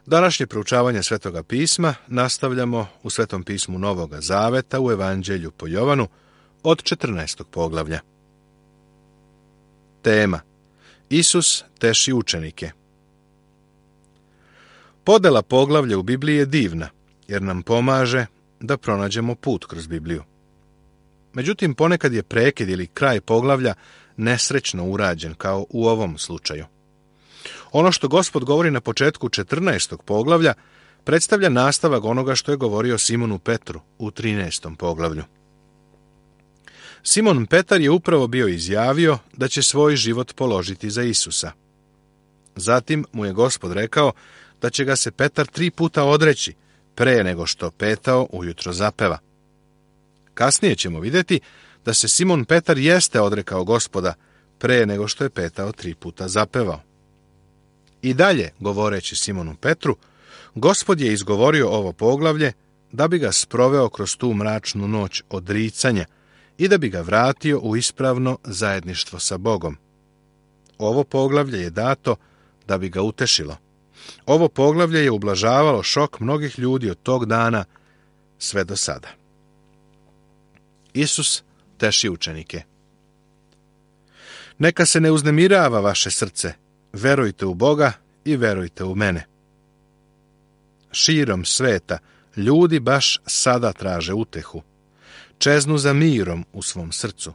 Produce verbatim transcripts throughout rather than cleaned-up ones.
Današnje proučavanje Svetoga pisma nastavljamo u Svetom pismu Novoga Zaveta u Evanđelju po Jovanu od četrnaestog poglavlja. Tema: Isus teši učenike. Podela poglavlja u Bibliji je divna, jer nam pomaže da pronađemo put kroz Bibliju. Međutim, ponekad je prekid ili kraj poglavlja nesrećno urađen, kao u ovom slučaju. Ono što Gospod govori na početku četrnaestog poglavlja predstavlja nastavak onoga što je govorio Simonu Petru u trinaestom poglavlju. Simon Petar je upravo bio izjavio da će svoj život položiti za Isusa. Zatim mu je Gospod rekao da će ga se Petar tri puta odreći pre nego što petao ujutro zapeva. Kasnije ćemo vidjeti da se Simon Petar jeste odrekao Gospoda pre nego što je petao tri puta zapevao. I dalje, govoreći Simonu Petru, Gospod je izgovorio ovo poglavlje da bi ga sproveo kroz tu mračnu noć odricanja i da bi ga vratio u ispravno zajedništvo sa Bogom. Ovo poglavlje je dato da bi ga utešilo. Ovo poglavlje je ublažavalo šok mnogih ljudi od tog dana sve do sada. Isus teši učenike. Neka se ne uznemirava vaše srce, verujte u Boga i verujte u mene. Širom sveta ljudi baš sada traže utehu. Čeznu za mirom u svom srcu.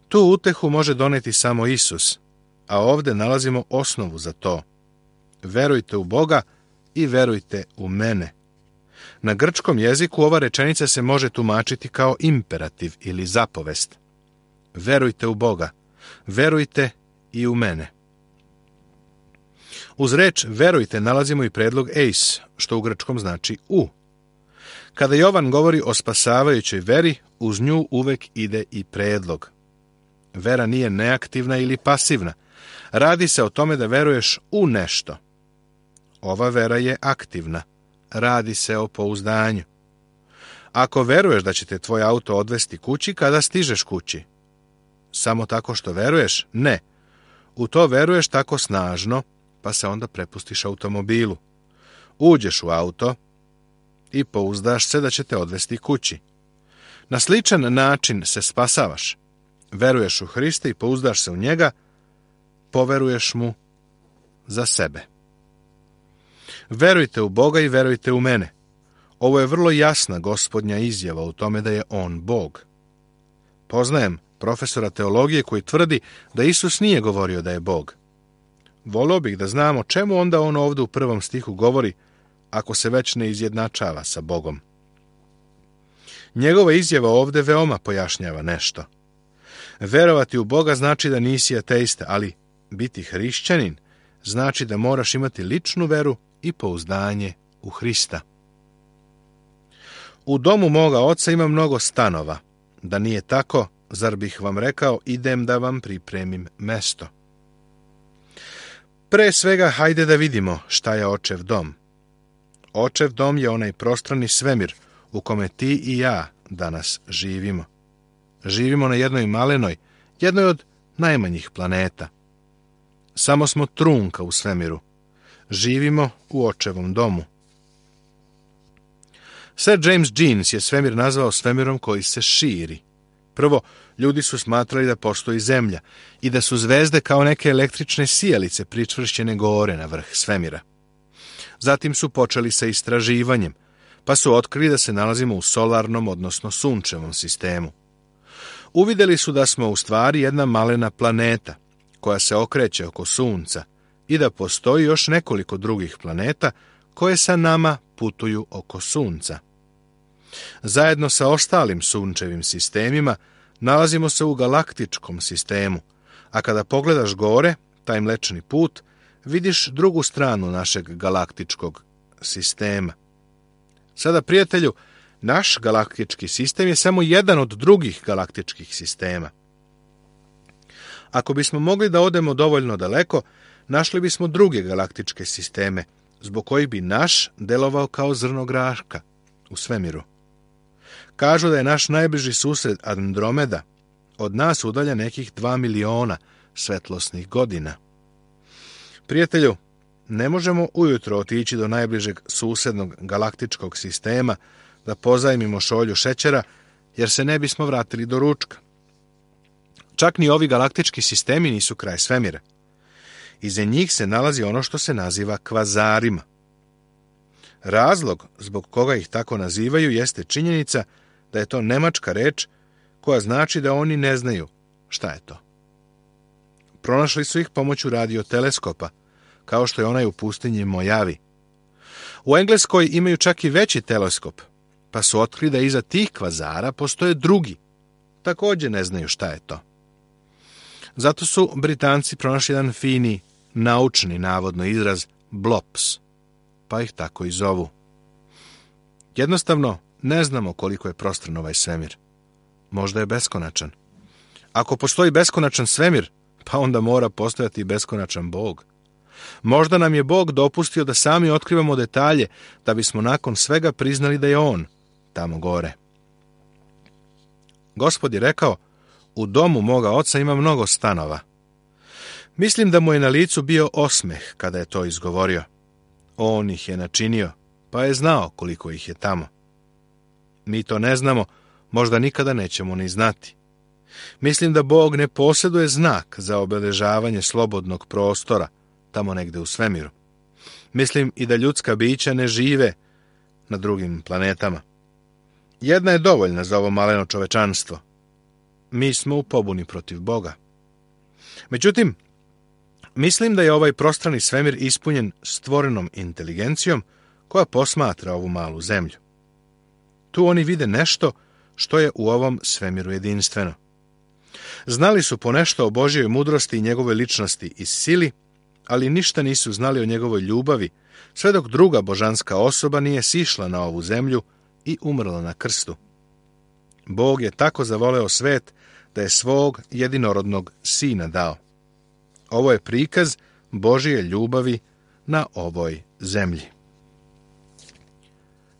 Tu utehu može doneti samo Isus, a ovdje nalazimo osnovu za to. Verujte u Boga i verujte u mene. Na grčkom jeziku ova rečenica se može tumačiti kao imperativ ili zapovest. Verujte u Boga, verujte i u mene. Uz reč verujte nalazimo i predlog eis, što u grčkom znači u. Kada Jovan govori o spasavajućoj veri, uz nju uvek ide i predlog. Vera nije neaktivna ili pasivna. Radi se o tome da veruješ u nešto. Ova vera je aktivna. Radi se o pouzdanju. Ako veruješ da će te tvoj auto odvesti kući kada stižeš kući, samo tako što veruješ? Ne. U to veruješ tako snažno, pa se onda prepustiš automobilu. Uđeš u auto i pouzdaš se da će te odvesti kući. Na sličan način se spasavaš. Veruješ u Hrista i pouzdaš se u njega, poveruješ mu za sebe. Verujte u Boga i verujte u mene. Ovo je vrlo jasna Gospodnja izjava u tome da je on Bog. Poznajem profesora teologije koji tvrdi da Isus nije govorio da je Bog. Volio bih da znamo čemu onda on ovdje u prvom stihu govori, ako se već ne izjednačava sa Bogom. Njegova izjava ovdje veoma pojašnjava nešto. Verovati u Boga znači da nisi ateista, ali biti hrišćanin znači da moraš imati ličnu veru i pouzdanje u Hrista. U domu moga oca ima mnogo stanova. Da nije tako, zar bih vam rekao, idem da vam pripremim mesto. Pre svega, hajde da vidimo šta je očev dom. Očev dom je onaj prostrani svemir u kome ti i ja danas živimo. Živimo na jednoj malenoj, jednoj od najmanjih planeta. Samo smo trunka u svemiru. Živimo u očevom domu. Sir James Jeans je svemir nazvao svemirom koji se širi. Prvo, ljudi su smatrali da postoji zemlja i da su zvezde kao neke električne sijalice pričvršćene gore na vrh svemira. Zatim su počeli sa istraživanjem, pa su otkrili da se nalazimo u solarnom, odnosno sunčevom sistemu. Uvidjeli su da smo u stvari jedna malena planeta, koja se okreće oko sunca, i da postoji još nekoliko drugih planeta koje sa nama putuju oko sunca. Zajedno sa ostalim sunčevim sistemima nalazimo se u galaktičkom sistemu, a kada pogledaš gore, taj mlečni put, vidiš drugu stranu našeg galaktičkog sistema. Sada, prijatelju, naš galaktički sistem je samo jedan od drugih galaktičkih sistema. Ako bismo mogli da odemo dovoljno daleko, našli bismo druge galaktičke sisteme, zbog kojih bi naš delovao kao zrno graška u svemiru. Kažu da je naš najbliži sused Andromeda od nas udalja nekih dva miliona svetlosnih godina. Prijatelju, Ne možemo ujutro otići do najbližeg susednog galaktičkog sistema da pozajmimo šolju šećera, jer se ne bismo vratili do ručka. Čak ni ovi galaktički sistemi nisu kraj svemira. Iza njih se nalazi ono što se naziva kvazarima. Razlog zbog koga ih tako nazivaju jeste činjenica da je to nemačka reč koja znači da oni ne znaju šta je to. Pronašli su ih pomoću radioteleskopa, kao što je onaj u pustinji Mojavi. U Engleskoj imaju čak i veći teleskop, pa su otkrili da iza tih kvazara postoje drugi. Također ne znaju šta je to. Zato su Britanci pronašli jedan fini, naučni navodno izraz blops, pa ih tako i zovu. Jednostavno, ne znamo koliko je prostran ovaj svemir. Možda je beskonačan. Ako postoji beskonačan svemir, pa onda mora postojati i beskonačan Bog. Možda nam je Bog dopustio da sami otkrivamo detalje, da bismo nakon svega priznali da je On tamo gore. Gospod je rekao, u domu moga oca ima mnogo stanova. Mislim da mu je na licu bio osmeh kada je to izgovorio. On ih je načinio, pa je znao koliko ih je tamo. Mi to ne znamo, možda nikada nećemo ni znati. Mislim da Bog ne posjeduje znak za obeležavanje slobodnog prostora, tamo negde u svemiru. Mislim i da ljudska bića ne žive na drugim planetama. Jedna je dovoljna za ovo maleno čovečanstvo. Mi smo u pobuni protiv Boga. Međutim, mislim da je ovaj prostrani svemir ispunjen stvorenom inteligencijom koja posmatra ovu malu zemlju. Tu oni vide nešto što je u ovom svemiru jedinstveno. Znali su ponešto o Božjoj mudrosti i njegove ličnosti i sili, ali ništa nisu znali o njegovoj ljubavi, sve dok druga božanska osoba nije sišla na ovu zemlju i umrla na krstu. Bog je tako zavoleo svet da je svog jedinorodnog sina dao. Ovo je prikaz Božje ljubavi na ovoj zemlji.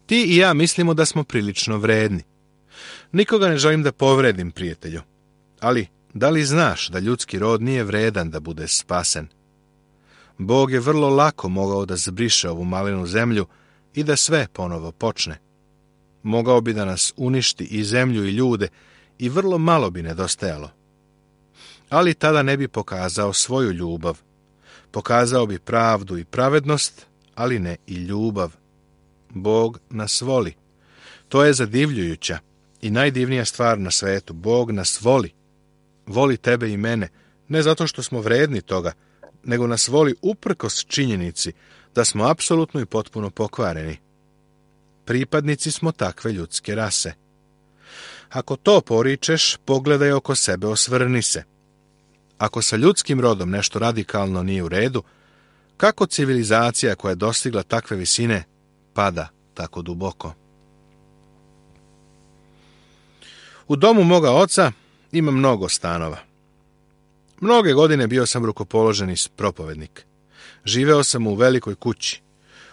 Ti i ja mislimo da smo prilično vredni. Nikoga ne želim da povredim, prijatelju. Ali, da li znaš da ljudski rod nije vredan da bude spasen? Bog je vrlo lako mogao da zbriše ovu malenu zemlju i da sve ponovo počne. Mogao bi da nas uništi i zemlju i ljude i vrlo malo bi nedostajalo. Ali tada ne bi pokazao svoju ljubav. Pokazao bi pravdu i pravednost, ali ne i ljubav. Bog nas voli. To je zadivljujuća i najdivnija stvar na svetu. Bog nas voli. Voli tebe i mene, ne zato što smo vredni toga, nego nas voli uprkos činjenici da smo apsolutno i potpuno pokvareni. Pripadnici smo takve ljudske rase. Ako to poričeš, pogledaj oko sebe, osvrni se. Ako sa ljudskim rodom nešto radikalno nije u redu, kako civilizacija koja je dostigla takve visine pada tako duboko? U domu moga oca ima mnogo stanova. Mnoge godine bio sam rukopoloženi propovednik. Živeo sam u velikoj kući.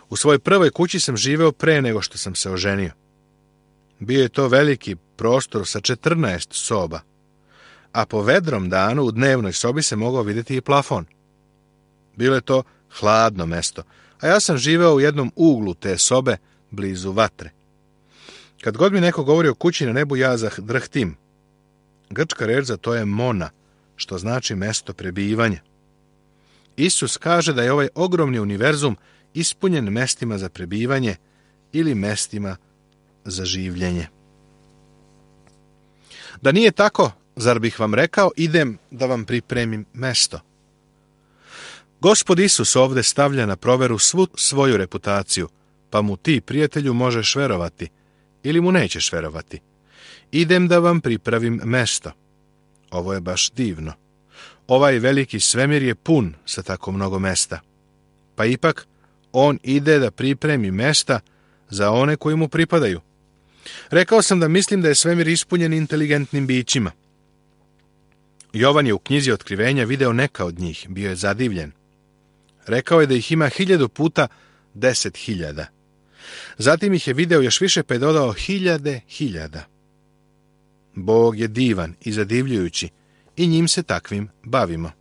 U svojoj prvoj kući sam živeo pre nego što sam se oženio. Bio je to veliki prostor sa četrnaest soba, a po vedrom danu u dnevnoj sobi se mogao vidjeti i plafon. Bilo je to hladno mesto, a ja sam živeo u jednom uglu te sobe blizu vatre. Kad god mi neko govori o kući na nebu, ja zadrhtim. Grčka reč za to je mona, što znači mesto prebivanja. Isus kaže da je ovaj ogromni univerzum ispunjen mestima za prebivanje ili mestima za življenje. Da nije tako, zar bih vam rekao, idem da vam pripremim mesto? Gospod Isus ovdje stavlja na proveru svu svoju reputaciju, pa mu ti, prijatelju, možeš verovati ili mu nećeš verovati. Idem da vam pripravim mesto. Ovo je baš divno. Ovaj veliki svemir je pun sa tako mnogo mesta. Pa ipak, on ide da pripremi mesta za one koji mu pripadaju. Rekao sam da mislim da je svemir ispunjen inteligentnim bićima. Jovan je u knjizi Otkrivenja video neka od njih, bio je zadivljen. Rekao je da ih ima hiljadu puta deset hiljada. Zatim ih je video još više pa je dodao hiljade hiljada. Bog je divan i zadivljujući i njim se takvim bavimo.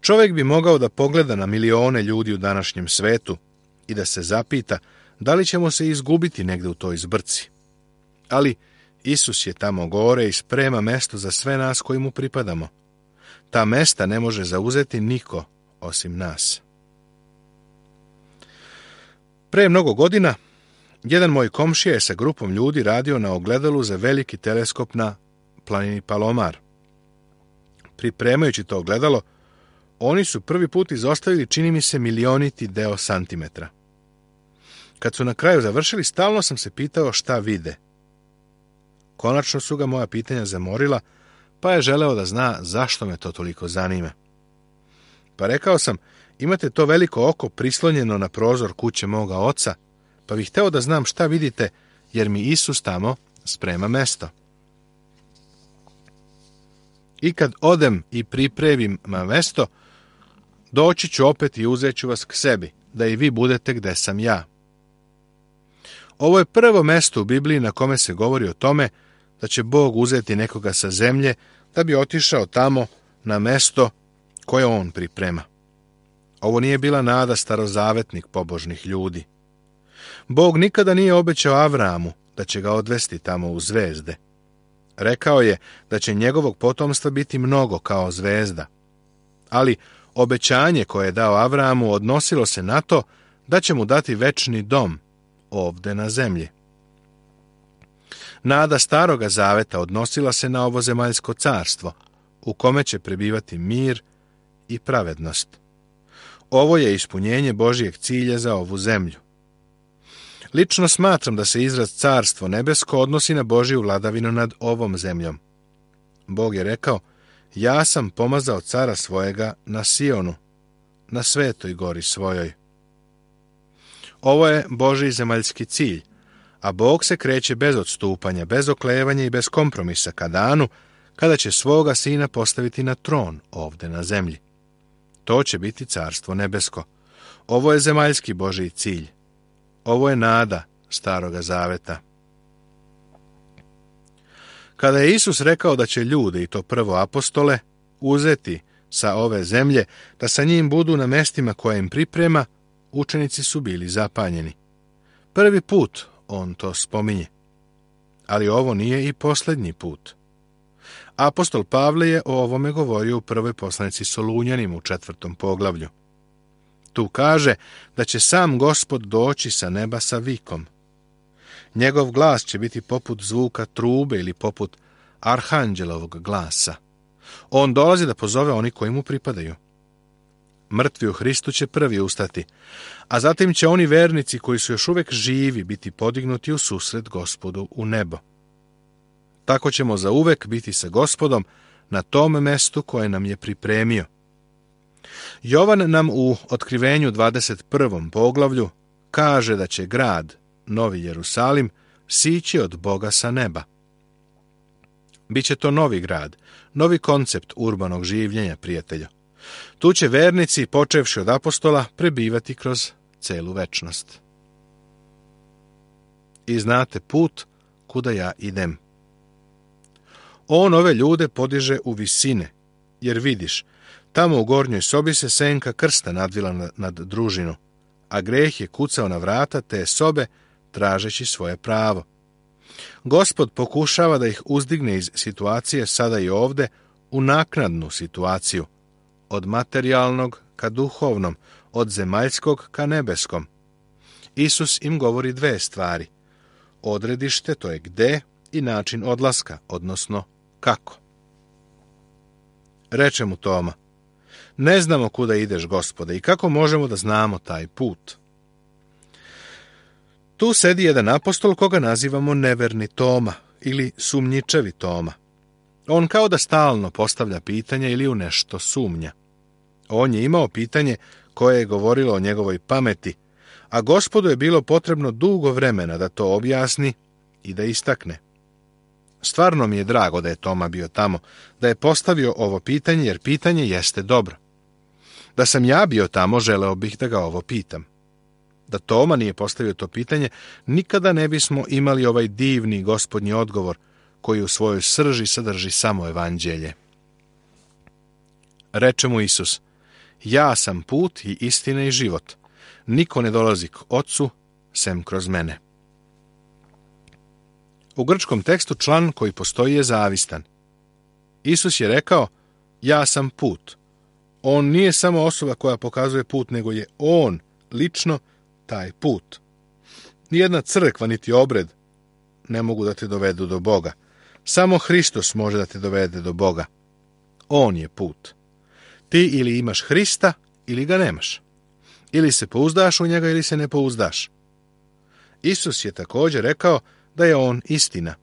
Čovjek bi mogao da pogleda na milione ljudi u današnjem svetu i da se zapita da li ćemo se izgubiti negde u toj zbrci. Ali Isus je tamo gore i sprema mesto za sve nas koji mu pripadamo. Ta mesta ne može zauzeti niko osim nas. Pre mnogo godina, jedan moj komšija je sa grupom ljudi radio na ogledalu za veliki teleskop na planini Palomar. Pripremajući to ogledalo, oni su prvi put izostavili, čini mi se, milioniti deo santimetra. Kad su na kraju završili, stalno sam se pitao šta vide. Konačno su ga moja pitanja zamorila, pa je želeo da zna zašto me to toliko zanima. Pa rekao sam, imate to veliko oko prislonjeno na prozor kuće moga oca, pa bih hteo da znam šta vidite, jer mi Isus tamo sprema mesto. I kad odem i pripremim mesto, doći ću opet i uzet ću vas k sebi, da i vi budete gde sam ja. Ovo je prvo mesto u Bibliji na kome se govori o tome da će Bog uzeti nekoga sa zemlje da bi otišao tamo na mesto koje on priprema. Ovo nije bila nada starozavetnih pobožnih ljudi. Bog nikada nije obećao Avramu da će ga odvesti tamo u zvezde. Rekao je da će njegovog potomstva biti mnogo kao zvezda. Ali obećanje koje je dao Avramu odnosilo se na to da će mu dati večni dom ovde na zemlji. Nada staroga zaveta odnosila se na ovo zemaljsko carstvo, u kome će prebivati mir i pravednost. Ovo je ispunjenje Božijeg cilja za ovu zemlju. Lično smatram da se izraz carstvo nebesko odnosi na Božiju vladavinu nad ovom zemljom. Bog je rekao, ja sam pomazao cara svojega na Sionu, na svetoj gori svojoj. Ovo je Božji zemaljski cilj, a Bog se kreće bez odstupanja, bez oklevanja i bez kompromisa ka danu, kada će svoga sina postaviti na tron ovde na zemlji. To će biti carstvo nebesko. Ovo je zemaljski Božji cilj. Ovo je nada staroga zaveta. Kada je Isus rekao da će ljude, i to prvo apostole, uzeti sa ove zemlje, da sa njim budu na mestima koje im priprema, učenici su bili zapanjeni. Prvi put on to spominje. Ali ovo nije i posljednji put. Apostol Pavle je o ovome govorio u prvoj poslanici Solunjanima u četvrtom poglavlju. Tu kaže da će sam Gospod doći sa neba sa vikom. Njegov glas će biti poput zvuka trube ili poput arhanđelovog glasa. On dolazi da pozove oni koji mu pripadaju. Mrtvi u Hristu će prvi ustati, a zatim će oni vernici koji su još uvek živi biti podignuti u susret Gospodu u nebo. Tako ćemo zauvek biti sa Gospodom na tom mestu koje nam je pripremio. Jovan nam u Otkrivenju dvadeset prvom poglavlju kaže da će grad, Novi Jerusalim, sići od Boga sa neba. Biće to novi grad, novi koncept urbanog življenja, prijatelja. Tu će vernici, počevši od apostola, prebivati kroz celu večnost. I znate put kuda ja idem. On ove ljude podiže u visine, jer vidiš, tamo u gornjoj sobi se senka krsta nadvila nad družinu, a greh je kucao na vrata te sobe, tražeći svoje pravo. Gospod pokušava da ih uzdigne iz situacije sada i ovde u naknadnu situaciju, od materijalnog ka duhovnom, od zemaljskog ka nebeskom. Isus im govori dve stvari. Odredište, to je gde, i način odlaska, odnosno kako. Reče mu Toma, ne znamo kuda ideš, Gospode, i kako možemo da znamo taj put? Tu sedi jedan apostol koga nazivamo neverni Toma ili sumnjičevi Toma. On kao da stalno postavlja pitanja ili u nešto sumnja. On je imao pitanje koje je govorilo o njegovoj pameti, a Gospodu je bilo potrebno dugo vremena da to objasni i da istakne. Stvarno mi je drago da je Toma bio tamo, da je postavio ovo pitanje, jer pitanje jeste dobro. Da sam ja bio tamo, želeo bih da ga ovo pitam. Da Toma nije postavio to pitanje, nikada ne bismo imali ovaj divni gospodnji odgovor, koji u svojoj srži sadrži samo evanđelje. Reče mu Isus, Ja sam put i istina i život. Niko ne dolazi k Ocu, sem kroz mene. U grčkom tekstu član koji postoji je zavistan. Isus je rekao, ja sam put. On nije samo osoba koja pokazuje put, nego je on, lično, taj put. Nijedna crkva niti obred ne mogu da te dovedu do Boga. Samo Hristos može da te dovede do Boga. On je put. Ti ili imaš Hrista, ili ga nemaš. Ili se pouzdaš u njega, ili se ne pouzdaš. Isus je također rekao da je on istina.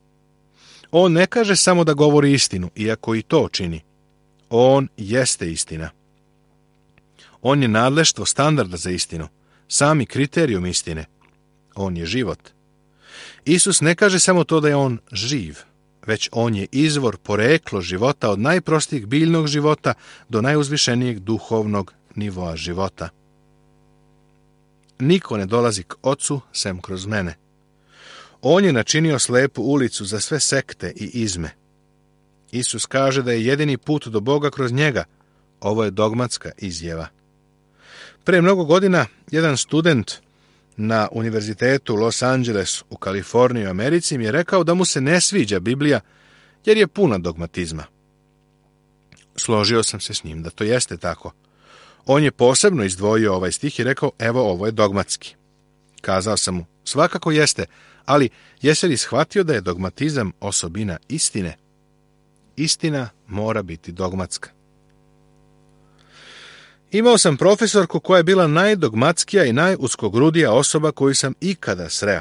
On ne kaže samo da govori istinu, iako i to čini. On jeste istina. On je nadleštvo standarda za istinu, sami kriterijum istine. On je život. Isus ne kaže samo to da je on živ, već on je izvor, poreklo života od najprostijeg biljnog života do najuzvišenijeg duhovnog nivoa života. Niko ne dolazi k Ocu sem kroz mene. On je načinio slepu ulicu za sve sekte i izme. Isus kaže da je jedini put do Boga kroz njega. Ovo je dogmatska izjava. Pre mnogo godina jedan student na univerzitetu Los Angeles u Kaliforniji u Americi mi je rekao da mu se ne sviđa Biblija jer je puna dogmatizma. Složio sam se s njim da to jeste tako. On je posebno izdvojio ovaj stih i rekao, evo, ovo je dogmatski. Kazao sam mu, svakako jeste, ali jesi li shvatio da je dogmatizam osobina istine? Istina mora biti dogmatska. Imao sam profesorku koja je bila najdogmatskija i najuskogrudija osoba koju sam ikada sreo.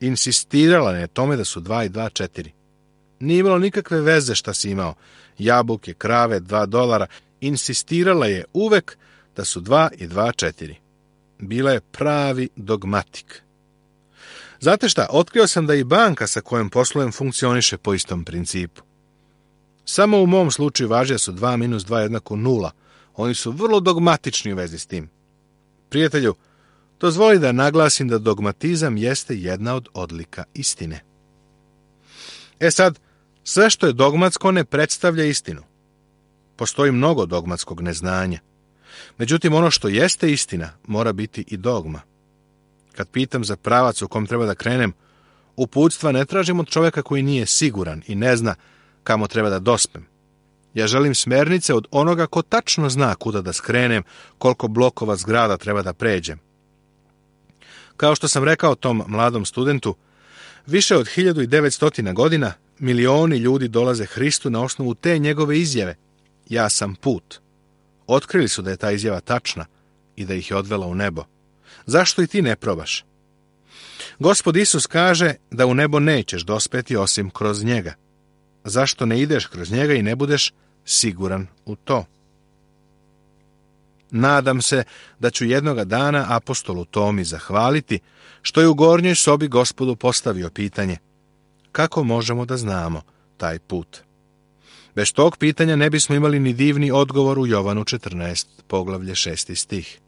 Insistirala je tome da su dva i dva četiri. Nije imalo nikakve veze šta si imao. Jabuke, krave, dva dolara. Insistirala je uvek da su dva i dva četiri. Bila je pravi dogmatik. Znate šta, otkrio sam da i banka sa kojom poslujem funkcioniše po istom principu. Samo u mom slučaju važi da su dva minus dva jednako nula. Oni su vrlo dogmatični u vezi s tim. Prijatelju, dozvoli da naglasim da dogmatizam jeste jedna od odlika istine. E sad, sve što je dogmatsko ne predstavlja istinu. Postoji mnogo dogmatskog neznanja. Međutim, ono što jeste istina mora biti i dogma. Kad pitam za pravac u kom treba da krenem, uputstva ne tražim od čovjeka koji nije siguran i ne zna kamo treba da dospem. Ja želim smernice od onoga ko tačno zna kuda da skrenem, koliko blokova zgrada treba da pređem. Kao što sam rekao tom mladom studentu, više od hiljadu devetsto godina milioni ljudi dolaze Hristu na osnovu te njegove izjave. Ja sam put. Otkrili su da je ta izjava tačna i da ih je odvela u nebo. Zašto i ti ne probaš? Gospod Isus kaže da u nebo nećeš dospeti osim kroz njega. Zašto ne ideš kroz njega i ne budeš siguran u to? Nadam se da ću jednoga dana apostolu Tomi zahvaliti što je u gornjoj sobi Gospodu postavio pitanje kako možemo da znamo taj put. Bez tog pitanja ne bismo imali ni divni odgovor u Jovanu četrnaest, poglavlje šesti stih.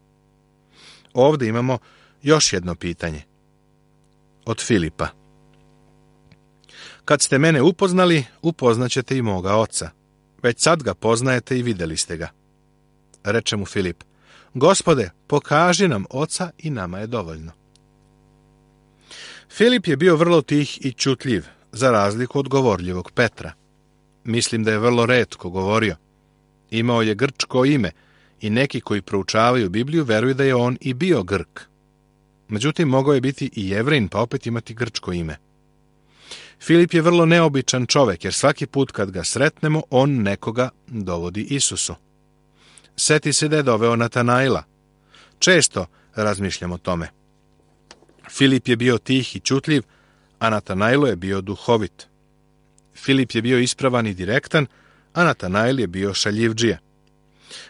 Ovdje imamo još jedno pitanje. Od Filipa. Kad ste mene upoznali, upoznaćete i moga oca. Već sad ga poznajete i vidjeli ste ga. Reče mu Filip, Gospode, pokaži nam oca i nama je dovoljno. Filip je bio vrlo tih i čutljiv, za razliku od govorljivog Petra. Mislim da je vrlo retko govorio. Imao je grčko ime i neki koji proučavaju Bibliju veruju da je on i bio Grk. Međutim, mogao je biti i Jevrin, pa opet imati grčko ime. Filip je vrlo neobičan čovek, jer svaki put kad ga sretnemo, on nekoga dovodi Isusu. Seti se da je doveo Natanaila. Često razmišljam o tome. Filip je bio tih i čutljiv, a Natanailo je bio duhovit. Filip je bio ispravan i direktan, a Natanail je bio šaljivdžija.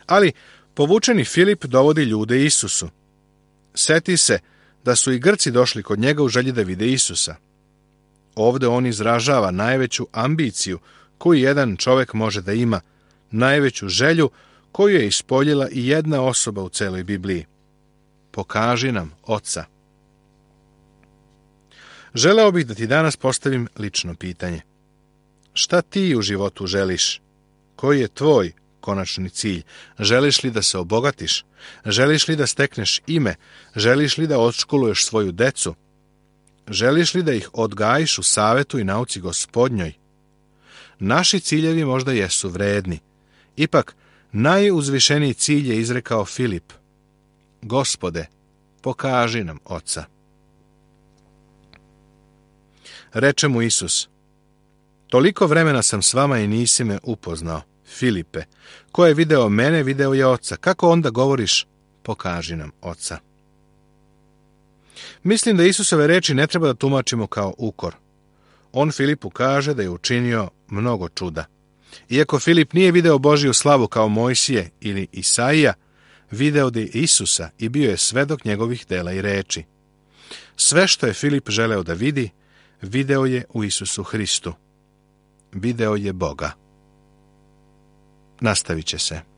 Ali povučeni Filip dovodi ljude Isusu. Seti se da su i Grci došli kod njega u želji da vide Isusa. Ovdje on izražava najveću ambiciju koju jedan čovjek može da ima, najveću želju koju je ispoljila i jedna osoba u celoj Bibliji. Pokaži nam oca. Želeo bih da ti danas postavim lično pitanje. Šta ti u životu želiš? Koji je tvoj konačni cilj? Želiš li da se obogatiš? Želiš li da stekneš ime? Želiš li da odškoluješ svoju decu? Želiš li da ih odgajiš u savetu i nauci Gospodnjoj? Naši ciljevi možda jesu vredni. Ipak, najuzvišeniji cilj je izrekao Filip. Gospode, pokaži nam Oca. Reče mu Isus, toliko vremena sam s vama i nisi me upoznao, Filipe. Ko je video mene, video je Oca. Kako onda govoriš, pokaži nam Oca? Mislim da Isusove reči ne treba da tumačimo kao ukor. On Filipu kaže da je učinio mnogo čuda. Iako Filip nije video Božiju slavu kao Mojsije ili Isaija, video je Isusa i bio je svedok njegovih dela i reči. Sve što je Filip želeo da vidi, video je u Isusu Hristu. Video je Boga. Nastavit će se.